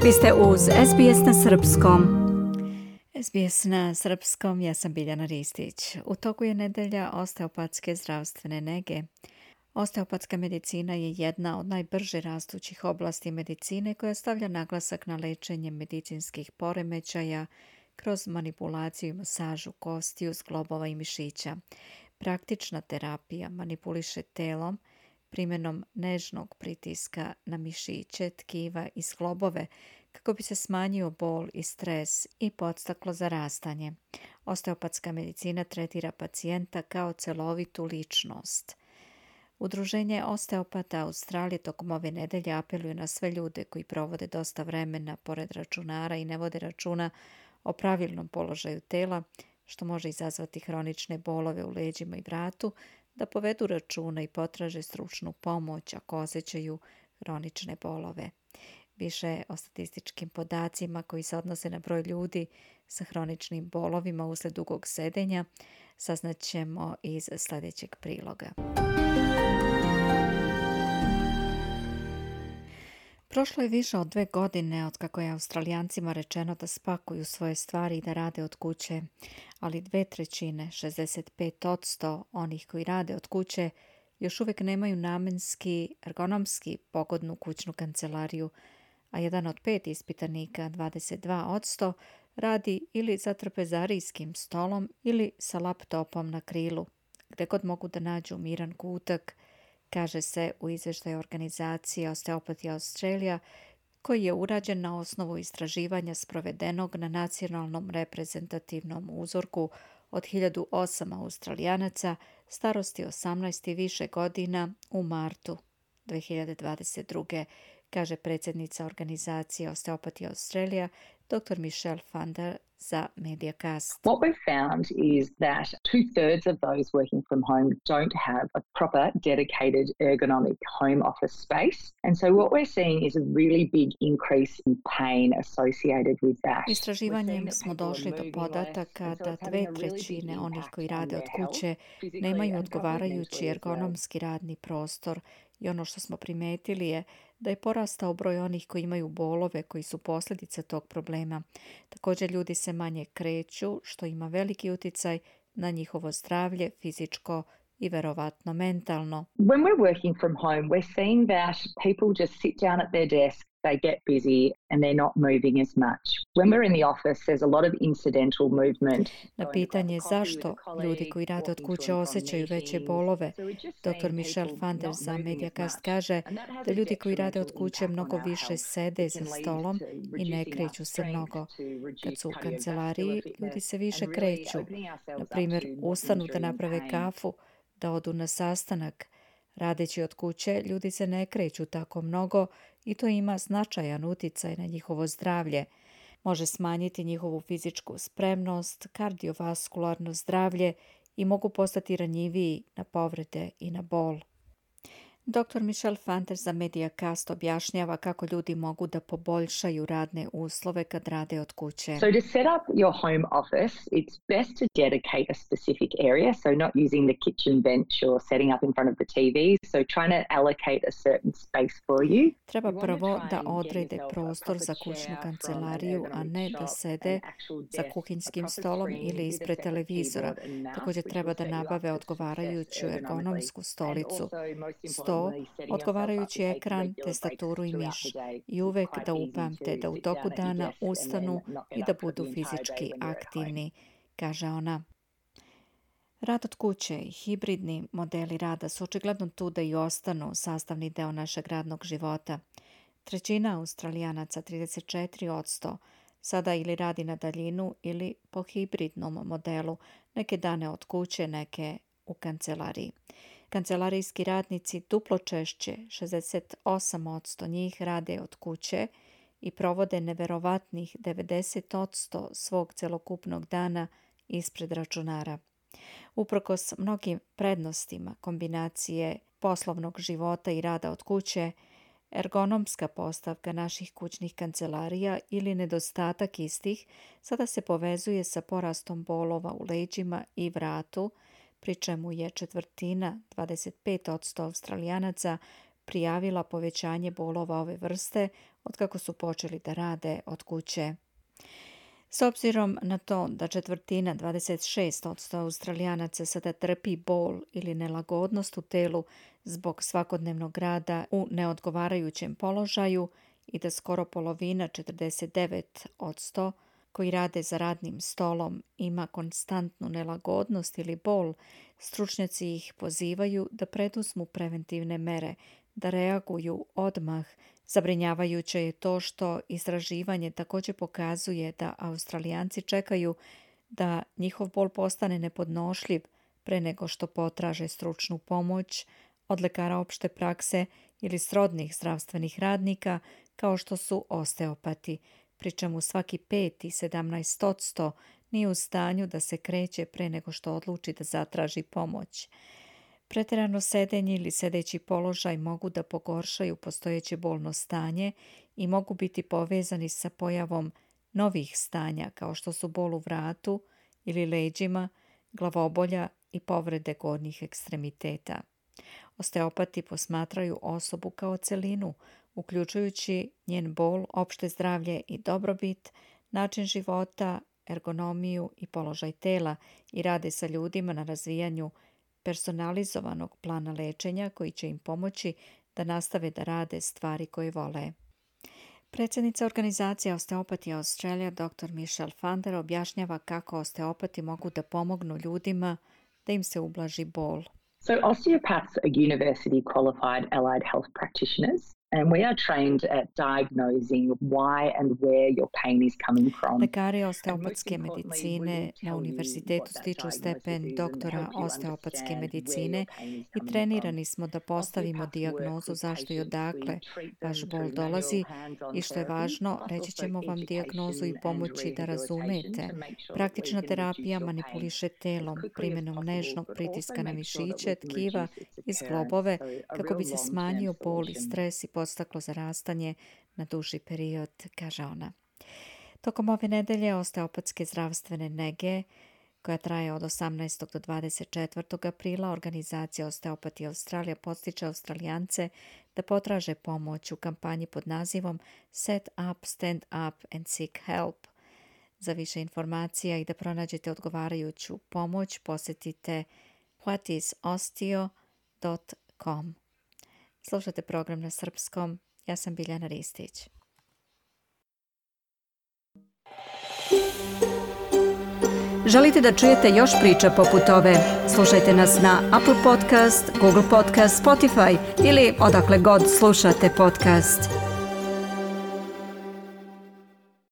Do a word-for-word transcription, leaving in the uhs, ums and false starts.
Vi ste uz es be es na srpskom. es be es na srpskom, ja sam Biljana Ristić. U toku je nedelja osteopatske zdravstvene nege. Osteopatska medicina je jedna od najbrže rastućih oblasti medicine koja stavlja naglasak na lečenje medicinskih poremećaja kroz manipulaciju i masažu kostiju, zglobova i mišića. Praktična terapija manipuliše telom primjenom nežnog pritiska na mišiće, tkiva i zglobove kako bi se smanjio bol i stres i podstaklo zarastanje. Osteopatska medicina tretira pacijenta kao celovitu ličnost. Udruženje osteopata Australije tokom ove nedelje apeluje na sve ljude koji provode dosta vremena pored računara i ne vode računa o pravilnom položaju tela, što može izazvati hronične bolove u leđima i vratu, da povedu računa i potraže stručnu pomoć ako osjećaju hronične bolove. Više o statističkim podacima koji se odnose na broj ljudi sa hroničnim bolovima usled dugog sedenja saznaćemo iz sljedećeg priloga. Prošlo je više od dve godine od kako je Australijancima rečeno da spakuju svoje stvari i da rade od kuće, ali dve trećine, šezdeset pet posto onih koji rade od kuće još uvijek nemaju namenski, ergonomski pogodnu kućnu kancelariju, a jedan od pet ispitanika, dvadeset dva posto, radi ili za trpezarijskim stolom ili sa laptopom na krilu, gdje god mogu da nađu miran kutak, kaže se u izvještaju organizacije Osteopathy Australia, koji je urađen na osnovu istraživanja sprovedenog na nacionalnom reprezentativnom uzorku od hiljadu osam Australijanaca starosti osamnaest i više godina u martu dve hiljade dvadeset druge. kaže predsjednica organizacije Osteopathy Australia, doktor Michelle Fander za Mediacast. What we've found is that two-thirds of those working from home don't have a proper, dedicated, ergonomic home office space. And so what we're seeing is a really big increase in pain associated with that. Istraživanjem smo došli do podataka da dve trećine onih koji rade od kuće nemaju odgovarajući ergonomski radni prostor i ono što smo primetili je da je porastao broj onih koji imaju bolove koji su posljedica tog problema. Također ljudi se manje kreću, što ima veliki utjecaj na njihovo zdravlje, fizičko i verovatno mentalno. When we're working from home, we're seeing that people just sit down at their desk, they get busy and they're not moving as much. When we're in the office, there's a lot of incidental movement. Na pitanje zašto ljudi koji rade od kuće osjećaju veće bolove, doktor Michelle Fander za Mediacast kaže da ljudi koji rade od kuće mnogo više sede za stolom i ne kreću se mnogo. Kad su u kancelariji, ljudi se više kreću. Na primjer, ustanu da naprave kafu, da odu na sastanak. Radeći od kuće, ljudi se ne kreću tako mnogo i to ima značajan utjecaj na njihovo zdravlje. Može smanjiti njihovu fizičku spremnost, kardiovaskularno zdravlje i mogu postati ranjiviji na povrede i na bol. doktor Michelle Fander za Mediacast objašnjava kako ljudi mogu da poboljšaju radne uslove kad rade od kuće. So to set up your home office, it's best to dedicate a specific area, so not using the kitchen bench or setting up in front of the T V, so trying to allocate a certain space for you. Treba prvo da odrede prostor za kućnu kancelariju, a ne da sede za kuhinjskim stolom ili ispred televizora. Također treba da nabave odgovarajuću ergonomsku stolicu, sto, odgovarajući ekran, tastaturu i miš. I uvek da upamte da u toku dana ustanu i da budu fizički aktivni, kaže ona. Rad od kuće i hibridni modeli rada su očigledno tu da i ostanu sastavni deo našeg radnog života. Trećina Australijanaca, trideset četiri posto, sada ili radi na daljinu ili po hibridnom modelu, neke dane od kuće, neke u kancelariji. Kancelarijski radnici duplo češće, šezdeset osam posto njih rade od kuće i provode neverovatnih devedeset posto svog celokupnog dana ispred računara. Uprkos mnogim prednostima kombinacije poslovnog života i rada od kuće, ergonomska postavka naših kućnih kancelarija ili nedostatak istih sada se povezuje sa porastom bolova u leđima i vratu, pri čemu je četvrtina, dvadeset pet posto Australijanaca, prijavila povećanje bolova ove vrste otkako su počeli da rade od kuće. S obzirom na to da četvrtina, dvadeset šest posto Australijanaca sada trpi bol ili nelagodnost u telu zbog svakodnevnog rada u neodgovarajućem položaju i da skoro polovina, četrdeset devet posto, koji rade za radnim stolom ima konstantnu nelagodnost ili bol, stručnjaci ih pozivaju da preduzmu preventivne mere, da reaguju odmah. Zabrinjavajuće je to što istraživanje također pokazuje da Australijanci čekaju da njihov bol postane nepodnošljiv pre nego što potraže stručnu pomoć od lekara opšte prakse ili srodnih zdravstvenih radnika kao što su osteopati, pri čemu svaki peti, sedamnaest posto, nije u stanju da se kreće pre nego što odluči da zatraži pomoć. Pretjerano sedenje ili sedeći položaj mogu da pogoršaju postojeće bolno stanje i mogu biti povezani sa pojavom novih stanja kao što su bol u vratu ili leđima, glavobolja i povrede gornjih ekstremiteta. Osteopati posmatraju osobu kao celinu, uključujući njen bol, opšte zdravlje i dobrobit, način života, ergonomiju i položaj tela i rade sa ljudima na razvijanju personalizovanog plana lečenja koji će im pomoći da nastave da rade stvari koje vole. Predsjednica organizacije Osteopati Australia, doktor Michelle Fander, objašnjava kako osteopati mogu da pomognu ljudima da im se ublaži bol. So osteopaths are university qualified allied health practitioners, and we are trained at diagnosing why and where your pain is coming from. Lekari osteopatske medicine na univerzitetu stiču stepen doktora osteopatske medicine i trenirani smo da postavimo dijagnozu zašto i odakle vaš bol dolazi i što je važno, reći ćemo vam dijagnozu i pomoći da razumete. Praktična terapija manipuliše telom primjenom nežnog pritiska na mišiće, tkiva i zglobove kako bi se smanjio bol i stres i podstaklo zarastanje na duži period, kaže ona. Tokom ove nedelje osteopatske zdravstvene nege, koja traje od osamnaestog do dvadeset četvrtog aprila, organizacija Osteopati Australija podstiče Australijance da potraže pomoć u kampanji pod nazivom Set Up, Stand Up and Seek Help. Za više informacija i da pronađete odgovarajuću pomoć, posjetite what is osteo dot com. Slušate program na srpskom. Ja sam Biljana Ristić. Želite da čujete još priča poput ove? Slušajte nas na Apple Podcast, Google Podcast, Spotify ili odakle god slušate podcast.